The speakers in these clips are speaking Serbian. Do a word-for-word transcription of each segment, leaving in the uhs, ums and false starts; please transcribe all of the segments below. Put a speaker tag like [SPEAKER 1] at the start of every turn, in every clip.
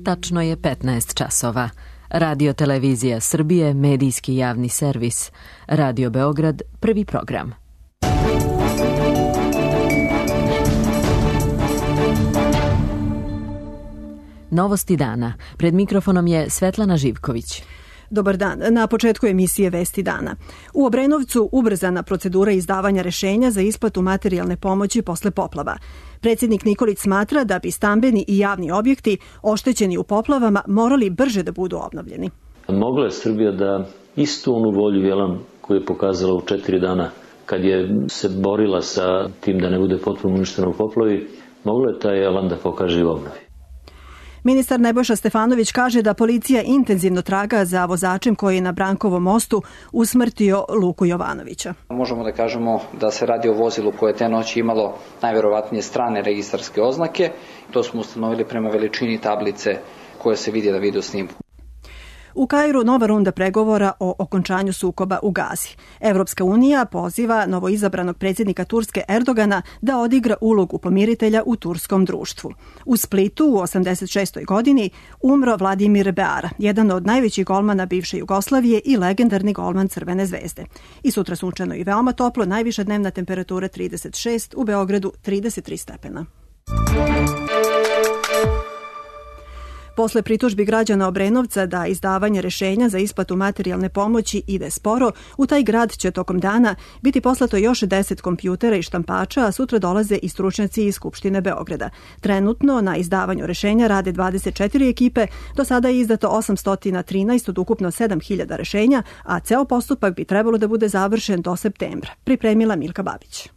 [SPEAKER 1] Tačno je petnaest časova. Radio Televizija Srbije, medijski javni servis. Radio Beograd, prvi program. Novosti dana. Pred mikrofonom je Svetlana Živković.
[SPEAKER 2] Dobar dan. Na početku emisije Vesti dana. U Obrenovcu ubrzana procedura izdavanja rešenja za isplatu materijalne pomoći posle poplava. Predsjednik Nikolić smatra da bi stambeni i javni objekti oštećeni u poplavama morali brže da budu obnovljeni.
[SPEAKER 3] Mogla je Srbija da istu onu volju jelan koju je pokazala u četiri dana kad je se borila sa tim da ne bude potpuno uništeno u poplavi, mogla je taj jelan da pokaže i u obnovi.
[SPEAKER 2] Ministar Nebojša Stefanović kaže da policija intenzivno traga za vozačem koji je na Brankovom mostu usmrtio Luku Jovanovića.
[SPEAKER 4] Možemo da kažemo da se radi o vozilu koje je te noći imalo najverovatnije strane registarske oznake. To smo ustanovili prema veličini tablice koje se vidi na video snimku.
[SPEAKER 2] U Kairu nova runda pregovora o okončanju sukoba u Gazi. Evropska unija poziva novoizabranog predsjednika Turske Erdogana da odigra ulogu pomiritelja u turskom društvu. U Splitu u osamdeset šestoj godini umro Vladimir Beara, jedan od najvećih golmana bivše Jugoslavije i legendarni golman Crvene zvezde. I sutra sunčano i veoma toplo, najviša dnevna temperatura trideset šest, u Beogradu trideset tri stepena. Posle pritužbi građana Obrenovca da izdavanje rešenja za isplatu materijalne pomoći ide sporo, u taj grad će tokom dana biti poslato još deset kompjutera i štampača, a sutra dolaze i stručnjaci iz Skupštine Beograda. Trenutno na izdavanju rešenja rade dvadeset četiri ekipe, do sada je izdato osamsto trinaest od ukupno sedam hiljada rešenja, a ceo postupak bi trebalo da bude završen do septembra. Pripremila Milka Babić.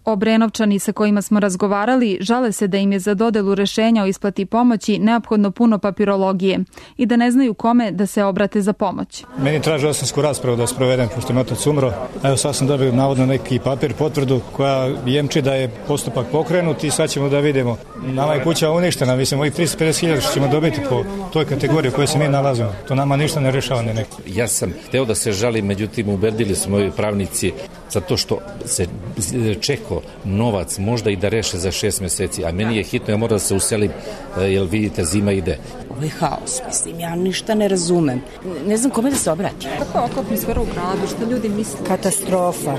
[SPEAKER 5] Obrenovčani sa kojima smo razgovarali žale se da im je za dodelu rešenja o isplati pomoći neophodno puno papirologije i da ne znaju kome da se obrate za pomoć.
[SPEAKER 6] Meni traži osansku raspravu da sprovedem, pošto je otac umro. Evo sad sam dobio navodno neki papir, potvrdu koja jemči da je postupak pokrenut i sad ćemo da vidimo. Nama je kuća uništena, mislim, ovih tristo pedeset hiljada što ćemo dobiti po toj kategoriji u kojoj se mi nalazimo. To nama ništa ne rešava ne neko.
[SPEAKER 7] Ja sam hteo da se žalim, međutim ubedili su moji pravnici zato što se čekao novac možda i da reše za šest meseci, a meni je hitno, ja moram da se uselim, jer vidite, zima ide.
[SPEAKER 8] Ovo je haos, mislim, ja ništa ne razumem. Ne znam kome da se obratim.
[SPEAKER 5] Kako je atmosfera u gradu, što ljudi misle?
[SPEAKER 8] Katastrofa.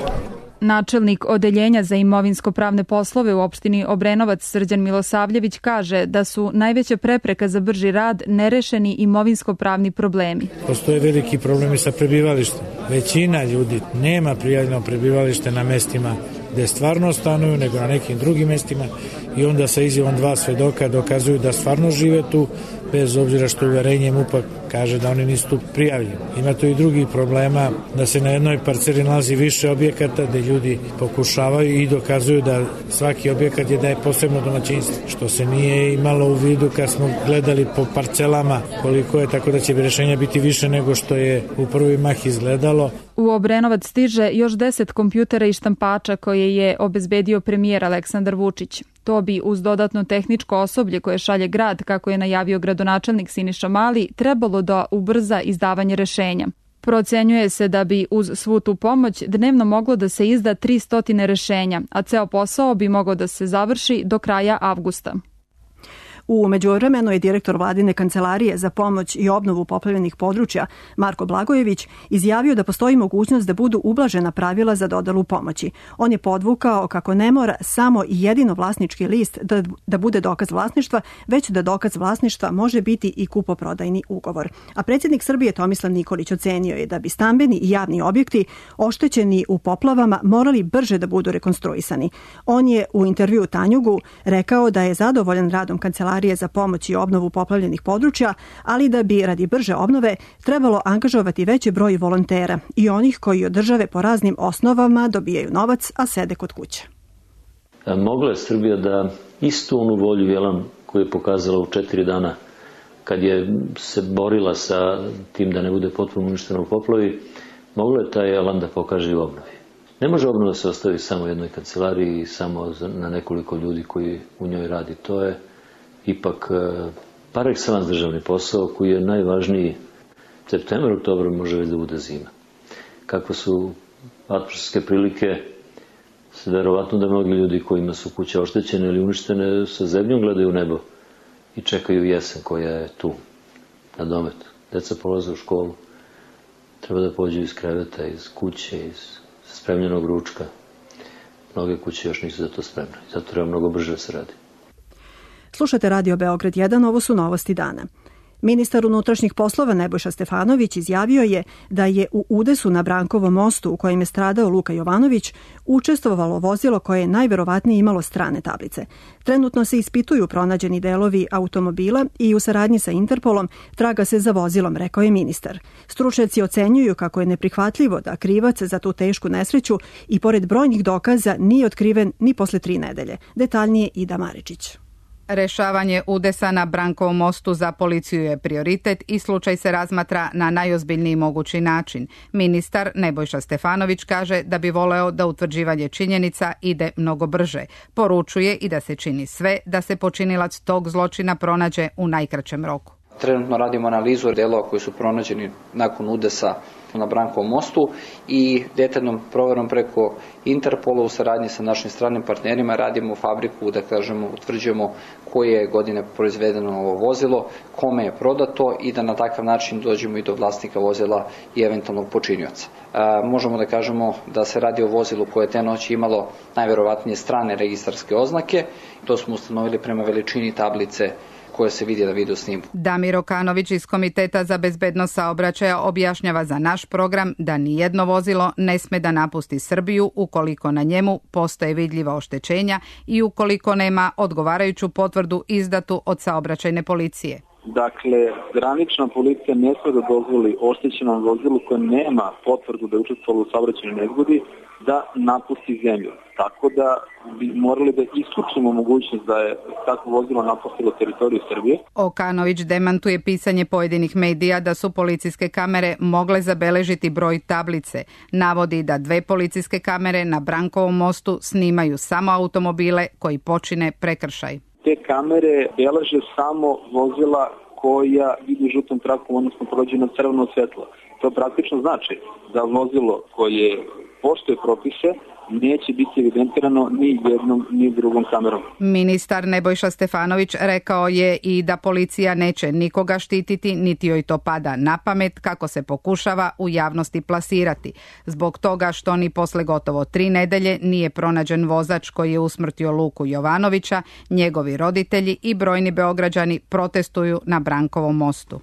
[SPEAKER 5] Načelnik Odeljenja za imovinsko-pravne poslove u opštini Obrenovac Srđan Milosavljević kaže da su najveća prepreka za brži rad nerešeni imovinsko-pravni problemi.
[SPEAKER 9] Postoje veliki problemi sa prebivalištem. Većina ljudi nema prijavljeno prebivalište na mestima gde stvarno stanuju, nego na nekim drugim mestima i onda sa izjavom dva svedoka dokazuju da stvarno žive tu, bez obzira što uverenje M U P-a kaže da oni nisu tu prijavljeni. Ima tu i drugih problema da se na jednoj parceli nalazi više objekata gde ljudi pokušavaju i dokazuju da svaki objekat je da je posebno domaćinstvo, što se nije imalo u vidu kad smo gledali po parcelama koliko je, tako da će rešenja biti više nego što je u prvi mah izgledalo.
[SPEAKER 5] U Obrenovac stiže još deset kompjutera i štampača koje je obezbedio premijer Aleksandar Vučić. To bi uz dodatno tehničko osoblje koje šalje grad, kako je najavio gradonačelnik Siniša Mali, trebalo da ubrza izdavanje rešenja. Procenjuje se da bi uz svu tu pomoć dnevno moglo da se izda tristo rešenja, a ceo posao bi mogao da se završi do kraja avgusta.
[SPEAKER 2] U međuvremenu je direktor Vladine kancelarije za pomoć i obnovu poplavljenih područja Marko Blagojević izjavio da postoji mogućnost da budu ublažena pravila za dodelu pomoći. On je podvukao kako ne mora samo i jedino vlasnički list da, da bude dokaz vlasništva, već da dokaz vlasništva može biti i kupoprodajni ugovor. A predsjednik Srbije Tomislav Nikolić ocenio je da bi stambeni i javni objekti oštećeni u poplavama morali brže da budu rekonstruisani. On je u intervjuu Tanjugu rekao da je zadovoljan radom kancelarije za pomoć i obnovu poplavljenih područja, ali da bi radi brže obnove trebalo angažovati veći broj volontera i onih koji od države po raznim osnovama dobijaju novac, a sede kod kuće.
[SPEAKER 3] Mogla je Srbija da istu onu volju jelan koju je pokazala u četiri dana kad je se borila sa tim da ne bude potpuno uništeno u poplavi, mogla je taj jelan da pokaže i u obnovi. Ne može obnova da se ostavi samo jednoj kancelariji i samo na nekoliko ljudi koji u njoj radi. To je ipak par excellence državni posao koji je najvažniji. Septembar, oktobar može već da bude zima. Kako su atmosferske prilike, verovatno da mnogi ljudi kojima su kuće oštećene ili uništene sa zebnjom gledaju u nebo i čekaju jesen koja je tu, na dometu. Deca polaze u školu, treba da pođu iz kreveta, iz kuće, iz spremljenog ručka. Mnoge kuće još nisu za to spremne, zato treba mnogo brže da se radi.
[SPEAKER 2] Slušate Radio Beograd jedan, ovo su novosti dana. Ministar unutrašnjih poslova Nebojša Stefanović izjavio je da je u udesu na Brankovom mostu u kojem je stradao Luka Jovanović učestvovalo vozilo koje je najverovatnije imalo strane tablice. Trenutno se ispituju pronađeni delovi automobila i u saradnji sa Interpolom traga se za vozilom, rekao je ministar. Stručnjaci ocenjuju kako je neprihvatljivo da krivac za tu tešku nesreću i pored brojnih dokaza nije otkriven ni posle tri nedelje. Detaljnije Ida Maričić.
[SPEAKER 10] Rešavanje udesa na Brankovom mostu za policiju je prioritet i slučaj se razmatra na najozbiljniji mogući način. Ministar Nebojša Stefanović kaže da bi voleo da utvrđivanje činjenica ide mnogo brže. Poručuje i da se čini sve da se počinilac tog zločina pronađe u najkraćem roku.
[SPEAKER 4] Trenutno radimo analizu delova koji su pronađeni nakon udesa na Brankovom mostu i detaljnom proverom preko Interpola u saradnji sa našim stranim partnerima radimo fabriku, da kažemo, utvrđujemo koje je godine proizvedeno ovo vozilo, kome je prodato i da na takav način dođemo i do vlasnika vozila i eventualnog počinioca. E, možemo da kažemo da se radi o vozilu koje je te noći imalo najverovatnije strane registarske oznake. To smo ustanovili prema veličini tablice koje se vidi na video snimku.
[SPEAKER 10] Damir Okanović iz Komiteta za bezbednost saobraćaja objašnjava za naš program da nijedno vozilo ne sme da napusti Srbiju ukoliko na njemu postoje vidljiva oštećenja i ukoliko nema odgovarajuću potvrdu izdatu od saobraćajne policije.
[SPEAKER 11] Dakle, granična policija ne sme da dozvoli oštećenom vozilu koje nema potvrdu da je učestvovalo u saobraćajnoj nezgodi da napusti zemlju. Tako da bi morali da isključimo mogućnost da je takvo vozilo napustilo teritoriju Srbije.
[SPEAKER 10] Okanović demantuje pisanje pojedinih medija da su policijske kamere mogle zabeležiti broj tablice. Navodi da dve policijske kamere na Brankovom mostu snimaju samo automobile koji počine prekršaj.
[SPEAKER 11] Te kamere beleže samo vozila koja vidi žutom trakom, odnosno prođe na crveno svetlo. To praktično znači da vozilo koje poštuje propise neće biti evidentirano ni jednom ni drugom kamerom.
[SPEAKER 10] Ministar Nebojša Stefanović rekao je i da policija neće nikoga štititi, niti joj to pada na pamet kako se pokušava u javnosti plasirati. Zbog toga što ni posle gotovo tri nedelje nije pronađen vozač koji je usmrtio Luku Jovanovića, njegovi roditelji i brojni Beograđani protestuju na Brankovom mostu.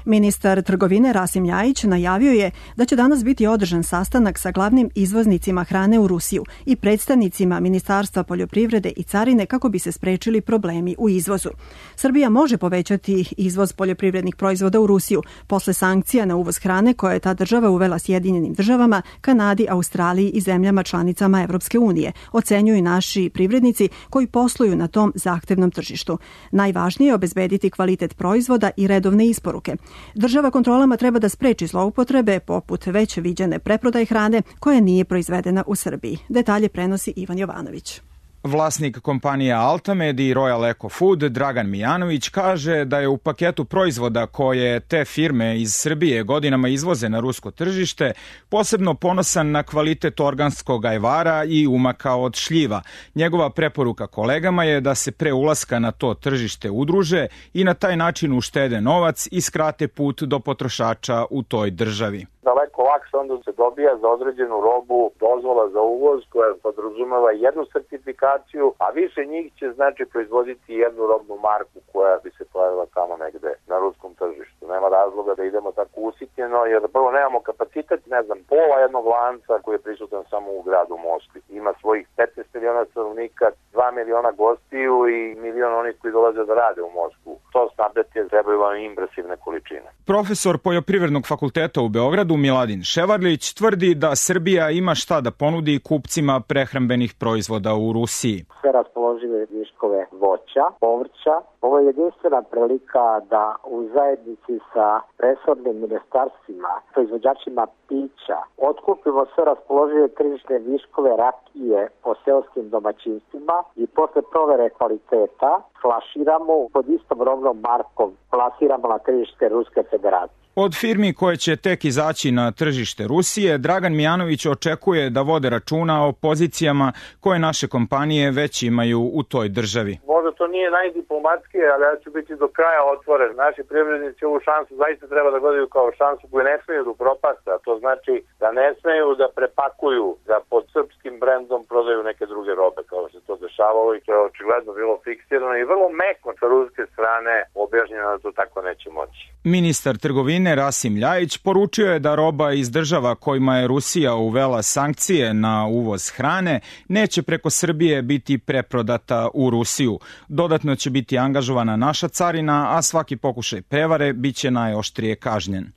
[SPEAKER 2] Ministar trgovine Rasim Ljajić najavio je da će danas biti održan sastanak sa glavnim izvoznicima hrane u Rusiju i predstavnicima Ministarstva poljoprivrede i carine kako bi se sprečili problemi u izvozu. Srbija može povećati izvoz poljoprivrednih proizvoda u Rusiju posle sankcija na uvoz hrane koje je ta država uvela Sjedinjenim državama, Kanadi, Australiji i zemljama članicama Evropske unije, ocenjuju naši privrednici koji posluju na tom zahtevnom tržištu. Najvažnije je obezbediti kvalitet proizvoda i redovne isporuke. Država kontrolama treba da spreči zloupotrebe poput već viđene preprodaje hrane koja nije proizvedena u Srbiji. Detalje prenosi Ivan Jovanović.
[SPEAKER 12] Vlasnik kompanija Altamed i Royal Eco Food Dragan Mijanović kaže da je u paketu proizvoda koje te firme iz Srbije godinama izvoze na rusko tržište posebno ponosan na kvalitet organskog ajvara i umaka od šljiva. Njegova preporuka kolegama je da se pre ulaska na to tržište udruže i na taj način uštede novac i skrate put do potrošača u toj državi.
[SPEAKER 13] Daleko lakše onda se dobija za određenu robu dozvola za uvoz koja podrazumeva jednu sertifikaciju, a više njih će znači proizvoditi jednu robnu marku koja bi se pojavila tamo negde na ruskom tržištu. Nema razloga da idemo tako usitnjeno jer prvo nemamo kapacitet, ne znam, pola jednog lanca koji je prisutan samo u gradu Moskvi. Ima svojih petnaest miliona stanovnika, dva miliona gostiju i milion onih koji dolaze da rade u Moskvu. To snabdeti trebaju vam impresivne količine.
[SPEAKER 12] Profesor Poljoprivrednog fakulteta u Beogradu Miladin Ševarlić tvrdi da Srbija ima šta da ponudi kupcima prehrambenih proizvoda u Rusiji.
[SPEAKER 14] Sve raspoložive viškove voća, povrća. Ovo je jedinstvena prilika da u zajednici sa resornim ministarstvima, proizvođačima pića, otkupimo sve raspoložive tržišne viškove rakije po seoskim domaćinstvima i posle provere kvaliteta flaširamo pod istom robnom markom, plasiramo na tržište Ruske federacije.
[SPEAKER 12] Od firmi koje će tek izaći na tržište Rusije, Dragan Mijanović očekuje da vode računa o pozicijama koje naše kompanije već imaju u toj državi.
[SPEAKER 13] Možda to nije najdiplomatskije, ali ja ću biti do kraja otvoren. Naši privrednici ovu šansu zaista treba da gledaju kao šansu koju ne smeju da upropaste, a to znači da ne smeju da prepakuju, da pod srpskim brendom prodaju neke druge robe, kao što se to dešavalo i to je očigledno bilo fiksirano i vrlo meko sa ruske strane objašnjeno da to tako neće moći.
[SPEAKER 12] Ministar trgovine Rasim Ljajić poručio je da roba iz država kojima je Rusija uvela sankcije na uvoz hrane neće preko Srbije biti preprodata u Rusiju. Dodatno će biti angažovana naša carina, a svaki pokušaj prevare biće najoštrije kažnjen.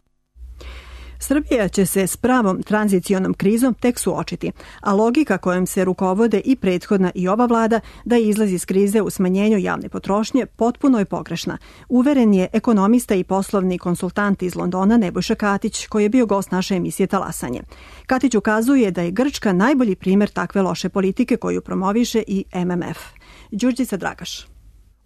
[SPEAKER 2] Srbija će se s pravom tranzicionom krizom tek suočiti, a logika kojom se rukovode i prethodna i ova vlada da izlazi iz krize u smanjenju javne potrošnje potpuno je pogrešna. Uveren je ekonomista i poslovni konsultant iz Londona Nebojša Katić, koji je bio gost naše emisije Talasanje. Katić ukazuje da je Grčka najbolji primjer takve loše politike koju promoviše i M M F. Đurđica Dragaš.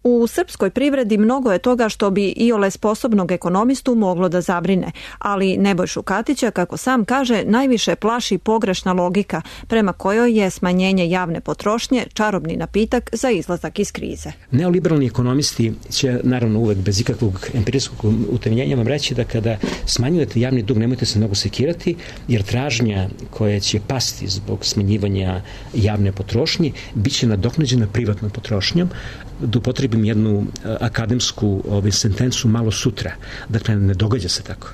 [SPEAKER 15] U srpskoj privredi mnogo je toga što bi iole sposobnog ekonomistu moglo da zabrine, ali Nebojšu Katića, kako sam kaže, najviše plaši pogrešna logika prema kojoj je smanjenje javne potrošnje čarobni napitak za izlazak iz krize.
[SPEAKER 16] Neoliberalni ekonomisti će, naravno uvek bez ikakvog empirijskog utemeljenja vam reći da kada smanjujete javni dug nemojte se mnogo sekirati, jer tražnja koja će pasti zbog smanjivanja javne potrošnje biće nadoknađena privatnom potrošnjom. Da upotrebim jednu akademsku ovaj, sentencu malo sutra. Dakle, ne događa se tako.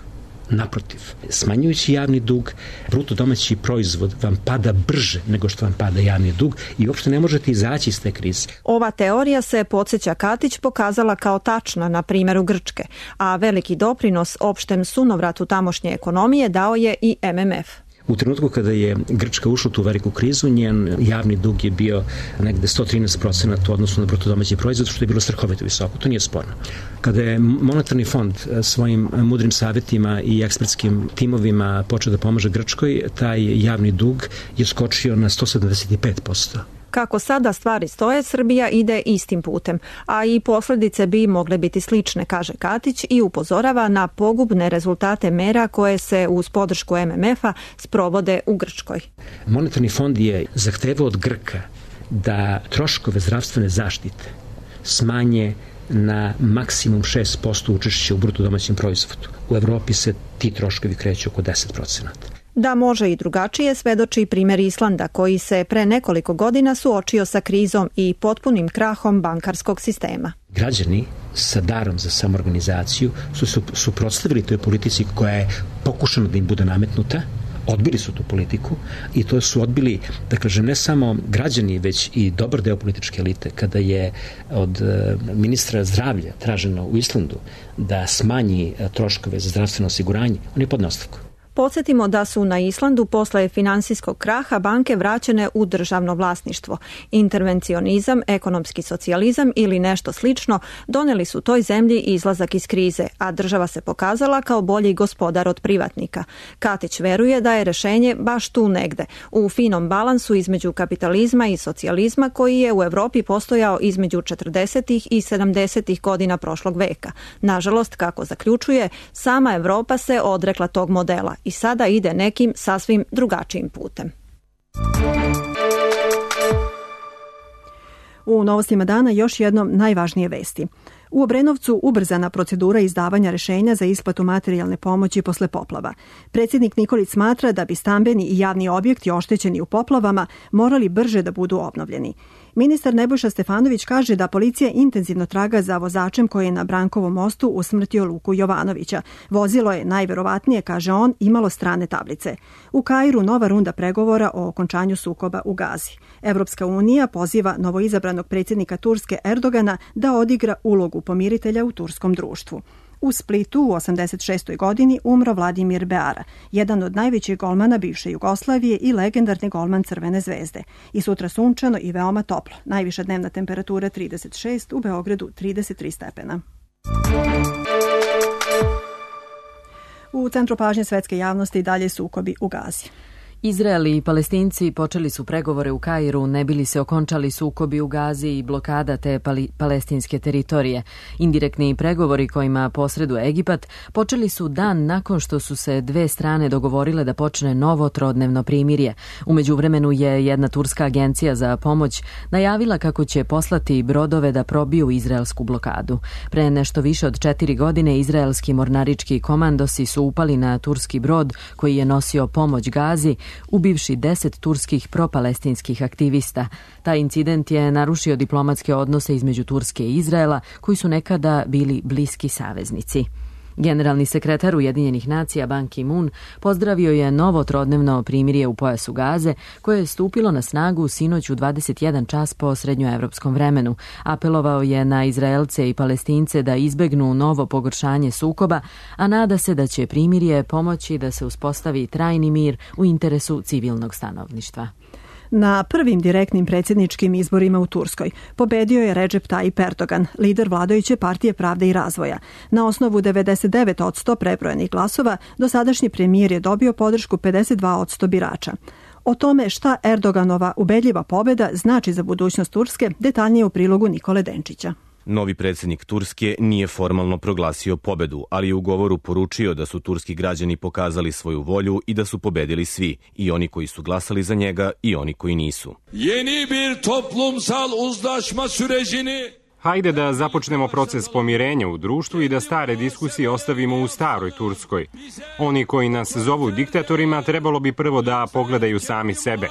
[SPEAKER 16] Naprotiv, smanjujući javni dug, bruto domaći proizvod vam pada brže nego što vam pada javni dug i uopšte ne možete izaći iz te krize.
[SPEAKER 15] Ova teorija se, podsjeća Katić, pokazala kao tačna na primjeru Grčke, a veliki doprinos opštem sunovratu tamošnje ekonomije dao je i M M F.
[SPEAKER 16] U trenutku kada je Grčka ušla u tu veliku krizu, njen javni dug je bio negde sto trinaest procenata u odnosu na bruto domaći proizvod, što je bilo strahovito visoko. To nije sporno. Kada je monetarni fond svojim mudrim savjetima i ekspertskim timovima počeo da pomaže Grčkoj, taj javni dug je skočio na sto sedamdeset pet posto.
[SPEAKER 15] Kako sada stvari stoje, Srbija ide istim putem, a i posljedice bi mogle biti slične, kaže Katić i upozorava na pogubne rezultate mera koje se uz podršku M M F-a sprovode u Grčkoj.
[SPEAKER 16] Monetarni fond je zahtevao od Grka da troškove zdravstvene zaštite smanje na maksimum šest posto učešća u bruto domaćem proizvodu. U Evropi se ti troškovi kreću oko deset procenata.
[SPEAKER 15] Da može i drugačije svedoči primjer Islanda, koji se pre nekoliko godina suočio sa krizom i potpunim krahom bankarskog sistema.
[SPEAKER 16] Građani sa darom za samoorganizaciju su se suprotstavili toj politici koja je pokušana da im bude nametnuta, odbili su tu politiku i to su odbili, da kažem, ne samo građani, već i dobar deo političke elite. Kada je od ministra zdravlja traženo u Islandu da smanji troškove za zdravstveno osiguranje, on je podneo ostavku.
[SPEAKER 15] Podsjetimo da su na Islandu posle finansijskog kraha banke vraćene u državno vlasništvo. Intervencionizam, ekonomski socijalizam ili nešto slično doneli su toj zemlji izlazak iz krize, a država se pokazala kao bolji gospodar od privatnika. Katić veruje da je rešenje baš tu negde, u finom balansu između kapitalizma i socijalizma koji je u Evropi postojao između četrdesetih i sedamdesetih godina prošlog veka. Nažalost, kako zaključuje, sama Evropa se odrekla tog modela i sada ide nekim sasvim drugačijim putem.
[SPEAKER 2] U novostima dana još jednom najvažnije vesti. U Obrenovcu ubrzana procedura izdavanja rešenja za isplatu materijalne pomoći posle poplava. Predsjednik Nikolić smatra da bi stambeni i javni objekti oštećeni u poplavama morali brže da budu obnovljeni. Ministar Nebojša Stefanović kaže da policija intenzivno traga za vozačem koji je na Brankovom mostu usmrtio Luku Jovanovića. Vozilo je, najverovatnije, kaže on, imalo strane tablice. U Kairu nova runda pregovora o okončanju sukoba u Gazi. Evropska unija poziva novoizabranog predsjednika Turske Erdogana da odigra ulogu pomiritelja u turskom društvu. U Splitu u osamdeset šestoj godini umro Vladimir Beara, jedan od najvećih golmana bivše Jugoslavije i legendarni golman Crvene zvezde. I sutra sunčano i veoma toplo. Najviša dnevna temperatura trideset šest, u Beogradu trideset tri stepena. U centru pažnje svetske javnosti dalje sukobi u Gazi.
[SPEAKER 1] Izrael i Palestinci počeli su pregovore u Kairu, ne bili se okončali sukobi u Gazi i blokada te pali, palestinske teritorije. Indirektni pregovori kojima posreduje Egipat počeli su dan nakon što su se dve strane dogovorile da počne novo trodnevno primirje. U međuvremenu je jedna turska agencija za pomoć najavila kako će poslati brodove da probiju izraelsku blokadu. Pre nešto više od četiri godine izraelski mornarički komandosi su upali na turski brod koji je nosio pomoć Gazi, ubivši deset turskih propalestinskih aktivista. Taj incident je narušio diplomatske odnose između Turske i Izraela, koji su nekada bili bliski saveznici. Generalni sekretar Ujedinjenih nacija Ban Ki-moon pozdravio je novo trodnevno primirje u pojasu Gaze, koje je stupilo na snagu sinoć u dvadeset jedan čas po srednjoevropskom vremenu. Apelovao je na Izraelce i Palestince da izbegnu novo pogoršanje sukoba, a nada se da će primirje pomoći da se uspostavi trajni mir u interesu civilnog stanovništva.
[SPEAKER 2] Na prvim direktnim predsjedničkim izborima u Turskoj pobedio je Recep Tayyip Erdogan, lider vladajuće partije Pravde i razvoja. Na osnovu devedeset devet posto prebrojenih glasova, dosadašnji premijer je dobio podršku pedeset dva posto birača. O tome šta Erdoganova ubedljiva pobjeda znači za budućnost Turske, detaljnije u prilogu Nikole Denčića.
[SPEAKER 17] Novi predsjednik Turske nije formalno proglasio pobedu, ali je u govoru poručio da su turski građani pokazali svoju volju i da su pobedili svi, i oni koji su glasali za njega i oni koji nisu.
[SPEAKER 18] Yeni bir toplumsal uzlaşma sürecini
[SPEAKER 19] Hajde da započnemo proces pomirenja u društvu i da stare diskusije ostavimo u staroj Turskoj. Oni koji nas zovu diktatorima trebalo bi prvo da pogledaju sami sebe.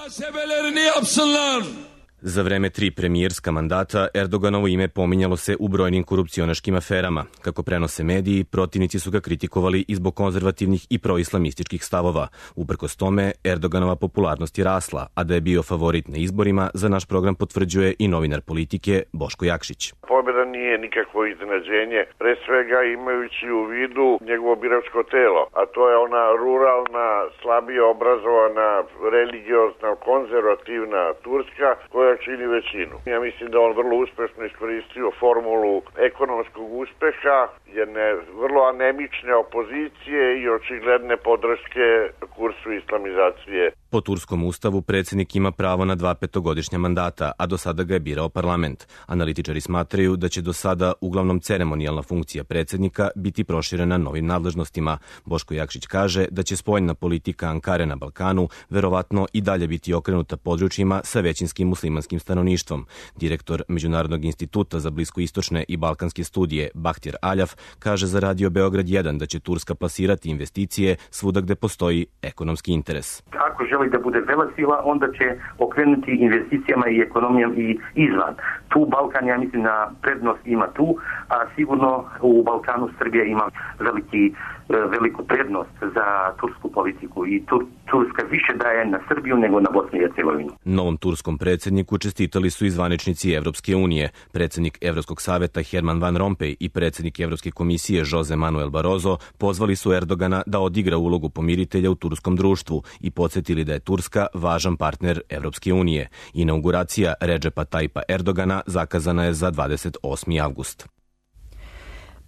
[SPEAKER 17] Za vreme tri premijerska mandata Erdoganovo ime pominjalo se u brojnim korupcionaškim aferama. Kako prenose mediji, protivnici su ga kritikovali i zbog konzervativnih i proislamističkih stavova. Uprkos tome, Erdoganova popularnost je rasla, a da je bio favorit na izborima, za naš program potvrđuje i novinar politike Boško Jakšić.
[SPEAKER 13] Pobjeda nije nikakvo iznenađenje, pre svega imajući u vidu njegovo biračko telo, a to je ona ruralna, slabije obrazovana, religiozna, konzervativna Turska, koja čini većinu. Ja mislim da on vrlo uspešno iskoristio formulu ekonomskog uspeha, jedne vrlo anemične opozicije i očigledne podrške kursu islamizacije.
[SPEAKER 17] Po turskom ustavu predsjednik ima pravo na dva petogodišnja mandata, a do sada ga je birao parlament. Analitičari smatraju da će do sada uglavnom ceremonijalna funkcija predsjednika biti proširena novim nadležnostima. Boško Jakšić kaže da će spoljna politika Ankare na Balkanu verovatno i dalje biti okrenuta područjima sa većinskim muslimanskim stanovništvom. Direktor Međunarodnog instituta za bliskoistočne i balkanske studije Bahtjer Aljaf kaže za Radio Beograd jedan da će Turska plasirati investicije svuda gde postoji ekonomski interes.
[SPEAKER 20] Ako želi da bude velesila, onda će okrenuti investicijama i ekonomijom i izvan. Tu Balkan, ja mislim, na prednost ima tu, a sigurno u Balkanu Srbija ima veliki, veliku prednost za tursku politiku i Tur, Turska više daje na Srbiju nego na Bosnu i Hercegovinu.
[SPEAKER 17] Novom turskom predsjedniku čestitali su i zvaničnici Evropske unije. Predsjednik Evropskog saveta Herman Van Rompuy i predsjednik Evropske komisije Jose Manuel Barroso pozvali su Erdogana da odigra ulogu pomiritelja u turskom društvu i podsjetili da je Turska važan partner Evropske unije. Inauguracija Recepa Tayyipa Erdogana zakazana je za dvadeset osmi avgust.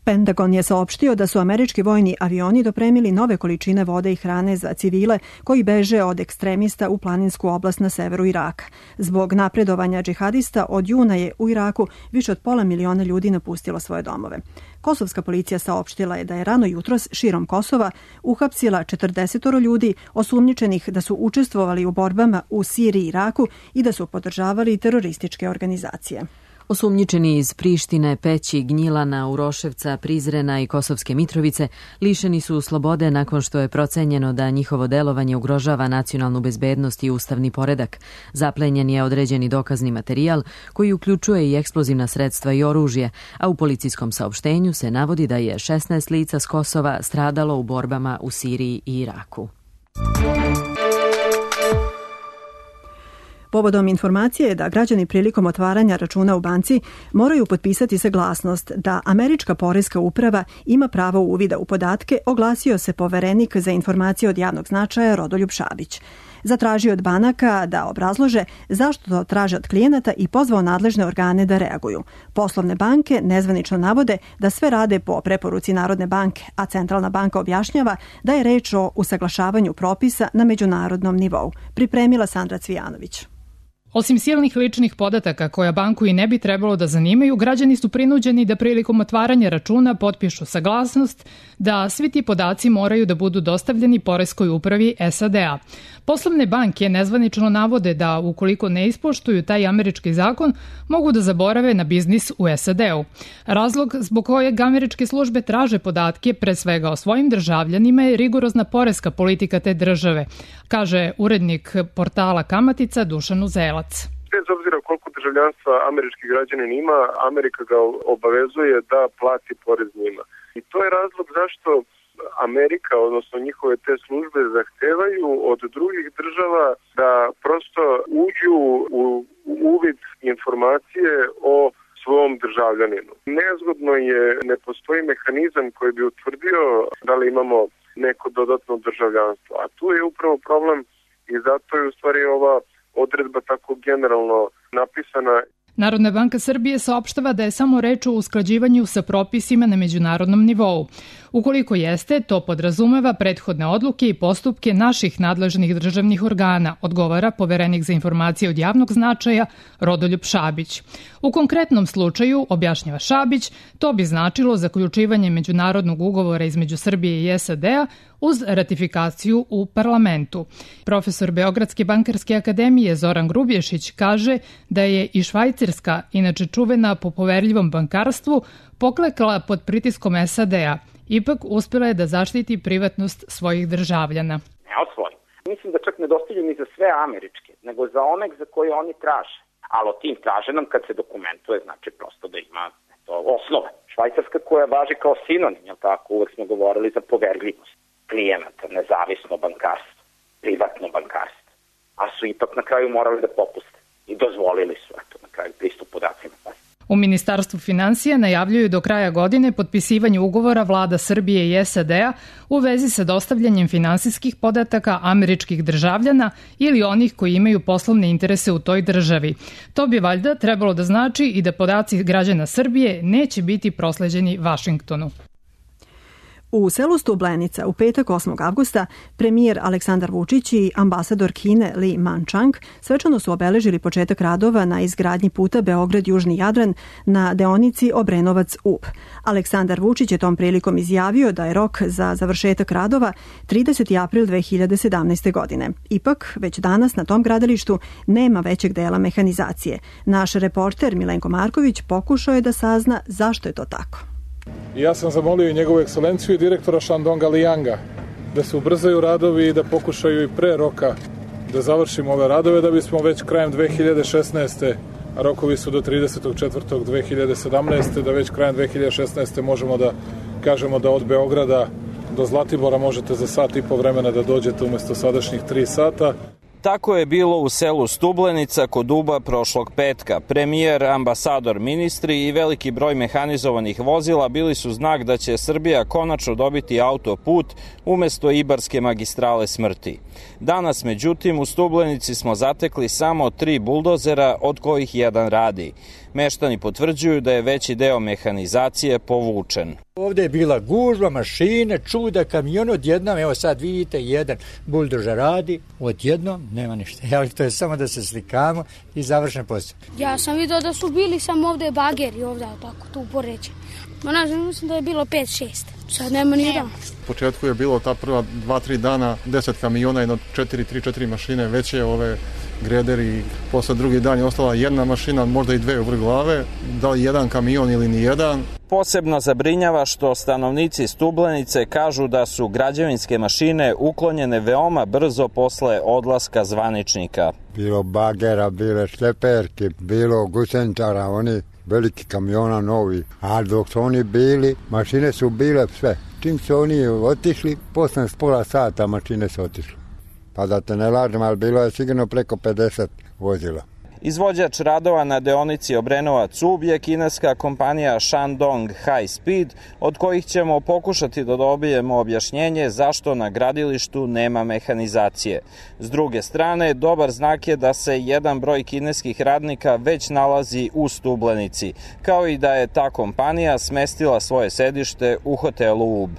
[SPEAKER 2] Pentagon je saopštio da su američki vojni avioni dopremili nove količine vode i hrane za civile koji beže od ekstremista u planinsku oblast na severu Iraka. Zbog napredovanja džihadista od juna je u Iraku više od pola miliona ljudi napustilo svoje domove. Kosovska policija saopštila je da je rano jutros širom Kosova uhapsila četrdeset ljudi osumnjičenih da su učestvovali u borbama u Siriji i Iraku i da su podržavali terorističke organizacije.
[SPEAKER 1] Osumnjičeni iz Prištine, Peći, Gnjilana, Uroševca, Prizrena i Kosovske Mitrovice lišeni su slobode nakon što je procenjeno da njihovo delovanje ugrožava nacionalnu bezbednost i ustavni poredak. Zaplenjen je određeni dokazni materijal koji uključuje i eksplozivna sredstva i oružje, a u policijskom saopštenju se navodi da je šesnaest lica s Kosova stradalo u borbama u Siriji i Iraku.
[SPEAKER 2] Povodom informacije je da građani prilikom otvaranja računa u banci moraju potpisati saglasnost da američka poreska uprava ima pravo uvida u podatke, oglasio se poverenik za informacije od javnog značaja Rodoljub Šabić. zatražio od banaka da obrazlože zašto to traže od klijenata i pozvao nadležne organe da reaguju. Poslovne banke nezvanično navode da sve rade po preporuci Narodne banke, a Centralna banka objašnjava da je reč o usaglašavanju propisa na međunarodnom nivou. Pripremila Sandra Cvijanović.
[SPEAKER 21] Osim silnih ličnih podataka koja banku i ne bi trebalo da zanimaju, građani su prinuđeni da prilikom otvaranja računa potpišu saglasnost da svi ti podaci moraju da budu dostavljeni Poreskoj upravi S A D-a. Poslovne banke nezvanično navode da ukoliko ne ispoštuju taj američki zakon, mogu da zaborave na biznis u S A D-u. Razlog zbog kojeg američke službe traže podatke pre svega o svojim državljanima je rigorozna poreska politika te države, kaže urednik portala Kamatica Dušan Uzelac.
[SPEAKER 22] Bez obzira koliko državljanstva američki građanin ima, Amerika ga obavezuje da plati porez njima. I to je razlog zašto Amerika, odnosno njihove te službe, zahtevaju od drugih država da prosto uđu u uvid informacije o svom državljaninu. Nezgodno je, ne postoji mehanizam koji bi utvrdio da li imamo neko dodatno državljanstvo. A tu je upravo problem i zato je u stvari ova odredba tako generalno napisana.
[SPEAKER 21] Narodna banka Srbije saopštava da je samo reč o usklađivanju sa propisima na međunarodnom nivou. Ukoliko jeste, to podrazumeva prethodne odluke i postupke naših nadležnih državnih organa, odgovara poverenik za informacije od javnog značaja Rodoljub Šabić. U konkretnom slučaju, objašnjava Šabić, to bi značilo zaključivanje međunarodnog ugovora između Srbije i S A D-a uz ratifikaciju u parlamentu. Profesor Beogradske bankarske akademije Zoran Grubješić kaže da je i Švajcarska, inače čuvena po poverljivom bankarstvu, poklekla pod pritiskom S A D-a. Ipak uspjela je da zaštiti privatnost svojih državljana.
[SPEAKER 23] Neosporno. Mislim da čak ne dostavljaju ni za sve američke, nego za one za koje oni traže. Ali o tim traže nam kad se dokumentuje, znači prosto da ima to, osnove. Švajcarska koja važi kao sinonim, jel tako, uvek smo govorili za poverljivost klijenata, nezavisno bankarstvo, privatno bankarstvo. A su ipak na kraju morali da popuste i dozvolili su eto, na kraju pristup podacima.
[SPEAKER 21] U Ministarstvu finansija najavljuju do kraja godine potpisivanje ugovora vlada Srbije i S A D-a u vezi sa dostavljanjem finansijskih podataka američkih državljana ili onih koji imaju poslovne interese u toj državi. To bi valjda trebalo da znači i da podaci građana Srbije neće biti prosleđeni Vašingtonu.
[SPEAKER 2] U selu Stublenica u petak osmog avgusta premijer Aleksandar Vučić i ambasador Kine Li Manchang svečano su obeležili početak radova na izgradnji puta Beograd-Južni Jadran na deonici Obrenovac-Ub. Aleksandar Vučić je tom prilikom izjavio da je rok za završetak radova trideseti april dve hiljade sedamnaeste. godine. Ipak, već danas na tom gradilištu nema većeg dela mehanizacije. Naš reporter Milenko Marković pokušao je da sazna zašto je to tako.
[SPEAKER 24] Ja sam zamolio i njegovu ekscelenciju i direktora Shandonga Lianga da se ubrzaju radovi i da pokušaju i pre roka da završimo ove radove da bismo već krajem dve hiljade šesnaeste. a rokovi su do tridesetog četvrtog dve hiljade sedamnaeste. da već krajem dve hiljade šesnaeste. možemo da kažemo da od Beograda do Zlatibora možete za sat i po vremena da dođete umesto sadašnjih tri sata.
[SPEAKER 25] Tako je bilo u selu Stublenica kod Uba prošlog petka. Premijer, ambasador, ministri i veliki broj mehanizovanih vozila bili su znak da će Srbija konačno dobiti autoput umesto Ibarske magistrale smrti. Danas, međutim, u Stublenici smo zatekli samo tri buldozera, od kojih jedan radi. Meštani potvrđuju da je veći deo mehanizacije povučen.
[SPEAKER 26] Ovdje je bila gužva, mašine, čuda, kamion, odjednom, evo sad vidite, jedan buldožer radi, odjednom nema ništa. Ja, to je samo da se slikamo i završen posao.
[SPEAKER 27] Ja sam vidio da su bili samo ovdje bageri, ovdje tako, tu poređe. Ma ne znam, mislim da je bilo pet šest. Sad nema ni dan.
[SPEAKER 28] U početku je bilo ta prva dva tri dana, deset kamiona, jedno četiri, tri, četiri mašine, veće ove grederi. Posle drugi dan je ostala jedna mašina, možda i dve u vrh glave, da li jedan kamion ili ni jedan.
[SPEAKER 25] Posebno zabrinjava što stanovnici Stublenice kažu da su građevinske mašine uklonjene veoma brzo posle odlaska zvaničnika.
[SPEAKER 29] Bilo bagera, bile šleperke, bilo gusenčara, oni veliki kamiona novi, a dok su oni bili, mašine su bile sve. Čim su oni otišli, posle pola sata mašine su otišli. Pa da te ne lažem, ali bilo je sigurno preko pedeset vozila.
[SPEAKER 25] Izvođač radova na deonici Obrenovac-Ub je kineska kompanija Shandong High Speed, od kojih ćemo pokušati da dobijemo objašnjenje zašto na gradilištu nema mehanizacije. S druge strane, dobar znak je da se jedan broj kineskih radnika već nalazi u Stublenici, kao i da je ta kompanija smestila svoje sedište u hotelu Ub.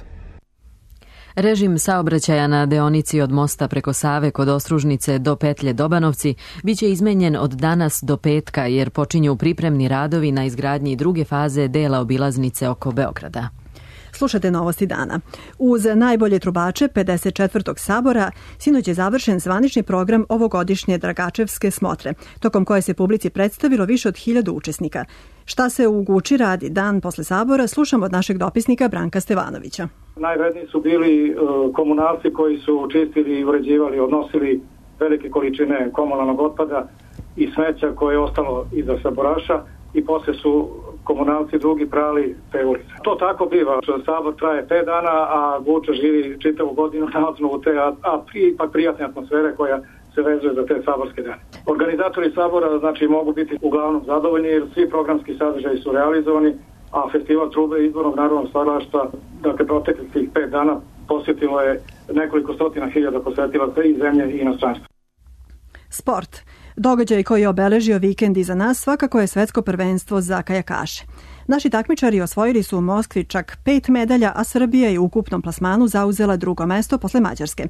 [SPEAKER 1] Režim saobraćaja na deonici od mosta preko Save kod Ostružnice do petlje Dobanovci biće izmenjen od danas do petka jer počinju pripremni radovi na izgradnji druge faze dela obilaznice oko Beograda.
[SPEAKER 2] Slušate novosti dana. Uz najbolje trubače pedeset četvrtog sabora sinoć je završen zvanični program ovogodišnje Dragačevske smotre, tokom koje se publici predstavilo više od hiljadu učesnika. Šta se u Guči radi dan posle sabora, slušamo od našeg dopisnika Branka Stevanovića.
[SPEAKER 3] Najvredniji su bili komunalci koji su čistili i uređivali, odnosili velike količine komunalnog otpada i smeća koje je ostalo iza saboraša i posle su komunalci drugi prali te ulice. To tako biva. Sabor traje pet dana, a Guča živi čitavu godinu na osnovu te, a, a ipak prijatne atmosfere koja se vezuje za te saborske dane. Organizatori sabora znači mogu biti uglavnom zadovoljni jer svi programski sadržaji su realizovani, a festival trube izbornog narodnog stvaralaštva, dakle proteklih tih pet dana posjetilo je nekoliko stotina hiljada posetilaca iz zemlje i inostranstva.
[SPEAKER 2] Sport. Događaj koji je obeležio vikend iza nas svakako je svetsko prvenstvo za kajakaše. Naši takmičari osvojili su u Moskvi čak pet medalja, a Srbija je u ukupnom plasmanu zauzela drugo mesto posle Mađarske.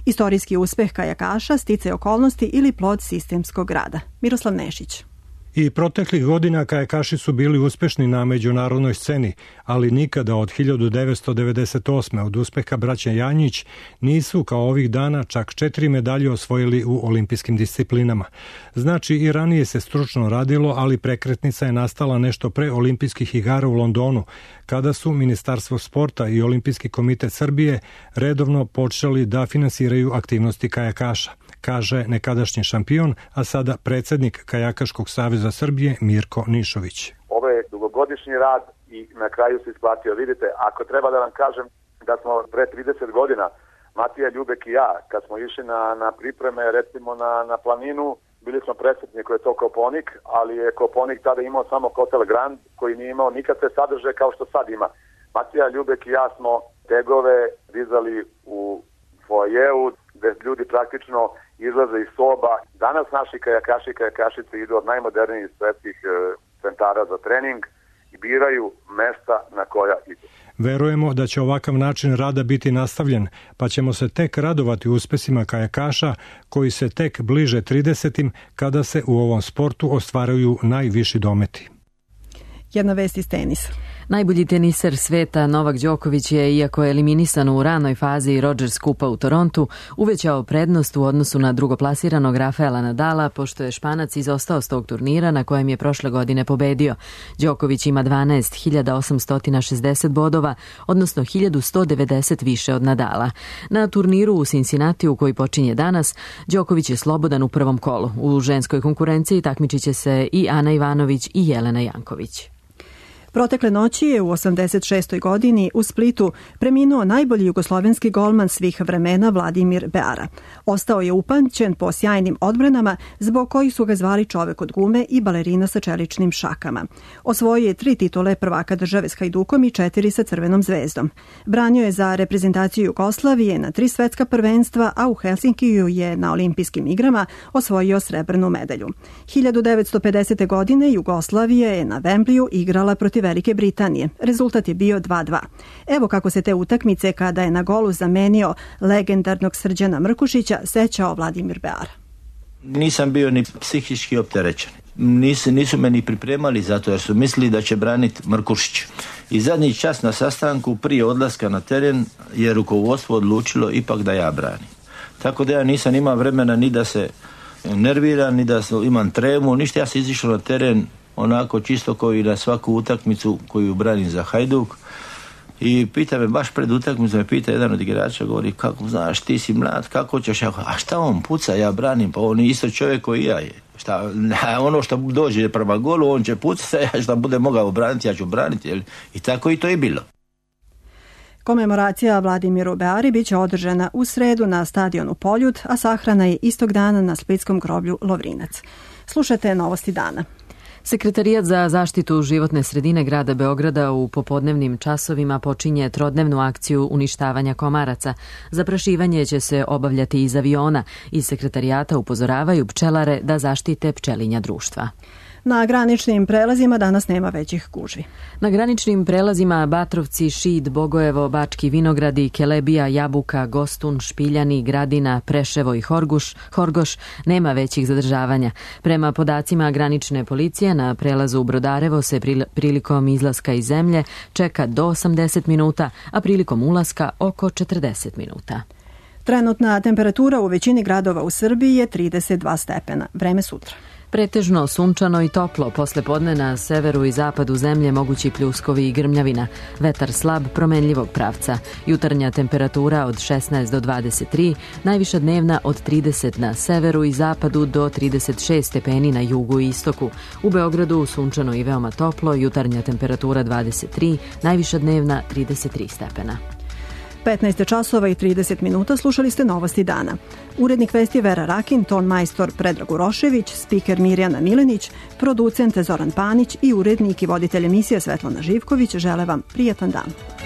[SPEAKER 2] Istorijski uspeh kajakaša, sticaj okolnosti ili plod sistemskog rada. Miroslav Nešić.
[SPEAKER 4] I proteklih godina kajakaši su bili uspešni na međunarodnoj sceni, ali nikada od hiljadu devetsto devedeset osme od uspeha braće Janjić nisu kao ovih dana čak četiri medalje osvojili u olimpijskim disciplinama. Znači i ranije se stručno radilo, ali prekretnica je nastala nešto pre olimpijskih igara u Londonu, kada su Ministarstvo sporta i Olimpijski komitet Srbije redovno počeli da finansiraju aktivnosti kajakaša, kaže nekadašnji šampion, a sada predsednik Kajakaškog saveza Srbije Mirko Nišović.
[SPEAKER 13] Ovo je dugogodišnji rad i na kraju se isplatio. Vidite, ako treba da vam kažem da smo pre trideset godina, Matija Ljubek i ja, kad smo išli na, na pripreme, recimo na, na planinu, bili smo presretni koji je to Koponik, ali je Koponik tada imao samo Hotel Grand, koji nije imao nikakve sadržaje kao što sad ima. Matija Ljubek i ja smo tegove dizali u foajeu, gde ljudi praktično izlaze iz soba. Danas naši kajakaši i kajakašice idu od najmodernijih svetskih e, centara za trening i biraju mesta na koja idu.
[SPEAKER 4] Verujemo da će ovakav način rada biti nastavljen, pa ćemo se tek radovati uspesima kajakaša koji se tek bliže tridesetim kada se u ovom sportu ostvaraju najviši dometi.
[SPEAKER 2] Jedna vest iz tenisa.
[SPEAKER 1] Najbolji teniser sveta Novak Đoković je, iako je eliminisan u ranoj fazi Rogers Kupa u Torontu, uvećao prednost u odnosu na drugoplasiranog Rafaela Nadala, pošto je Španac izostao s tog turnira na kojem je prošle godine pobedio. Đoković ima dvanaest hiljada osamsto šezdeset bodova, odnosno hiljadu sto devedeset više od Nadala. Na turniru u Cincinnatiju koji počinje danas, Đoković je slobodan u prvom kolu. U ženskoj konkurenciji takmičit će se i Ana Ivanović i Jelena Janković.
[SPEAKER 2] Protekle noći je u osamdeset šestoj godini u Splitu preminuo najbolji jugoslovenski golman svih vremena Vladimir Beara. Ostao je upamćen po sjajnim odbranama zbog kojih su ga zvali čovek od gume i balerina sa čeličnim šakama. Osvojio je tri titule prvaka države s Hajdukom i četiri sa Crvenom zvezdom. Branio je za reprezentaciju Jugoslavije na tri svetska prvenstva, a u Helsinkiju je na olimpijskim igrama osvojio srebrnu medalju. hiljadu devetsto pedesete. godine Jugoslavija je na Wembleyu igrala protiv Velike Britanije. Rezultat je bio dva dva. Evo kako se te utakmice, kada je na golu zamenio legendarnog Srđana Mrkušića, sećao Vladimir Beara.
[SPEAKER 5] Nisam bio ni psihički opterećen. Nisu, nisu me ni pripremali zato jer su mislili da će braniti Mrkušić. I zadnji čas na sastanku prije odlaska na teren je rukovodstvo odlučilo ipak da ja branim. Tako da ja nisam imao vremena ni da se nerviram, ni da imam tremu, ništa. Ja sam izišao na teren onako čisto kao i na svaku utakmicu koju branim za Hajduk. I pita me, baš pred utakmicu me pita jedan od igrača, govori, kako znaš, ti si mlad, kako ćeš? Ja, a šta on puca, ja branim, pa on je isto čovjek koji ja je. Šta, ono što dođe prema golu, on će pucati, ja šta bude mogao braniti, ja ću braniti. Jel? I tako i to je bilo.
[SPEAKER 2] Komemoracija Vladimiru Beari biće održana u sredu na stadionu Poljud, a sahrana je istog dana na splitskom groblju Lovrinac. Slušajte novosti dana.
[SPEAKER 1] Sekretarijat za zaštitu životne sredine grada Beograda u popodnevnim časovima počinje trodnevnu akciju uništavanja komaraca. Zaprašivanje će se obavljati iz aviona. Iz sekretarijata upozoravaju pčelare da zaštite pčelinja društva.
[SPEAKER 2] Na graničnim prelazima danas nema većih gužvi.
[SPEAKER 1] Na graničnim prelazima Batrovci, Šid, Bogojevo, Bački Vinogradi, Kelebija, Jabuka, Gostun, Špiljani, Gradina, Preševo i Horguš, Horgoš nema većih zadržavanja. Prema podacima granične policije na prelazu u Brodarevo se prilikom izlaska iz zemlje čeka do osamdeset minuta, a prilikom ulaska oko četrdeset minuta.
[SPEAKER 2] Trenutna temperatura u većini gradova u Srbiji je trideset dva stepena. Vreme sutra.
[SPEAKER 1] Pretežno sunčano i toplo, posle podne na severu i zapadu zemlje mogući pljuskovi i grmljavina. Vetar slab, promenljivog pravca. Jutarnja temperatura od šesnaest do dvadeset tri, najviša dnevna od trideset na severu i zapadu do trideset šest stepeni na jugu i istoku. U Beogradu sunčano i veoma toplo, jutarnja temperatura dvadeset tri, najviša dnevna trideset tri stepena.
[SPEAKER 2] petnaest časova i trideset minuta slušali ste novosti dana. Urednik vesti Vera Rakin, ton majstor Predrag Urošević, spiker Mirjana Milenić, producent Zoran Panić i urednik i voditelj emisije Svetlana Živković žele vam prijatan dan.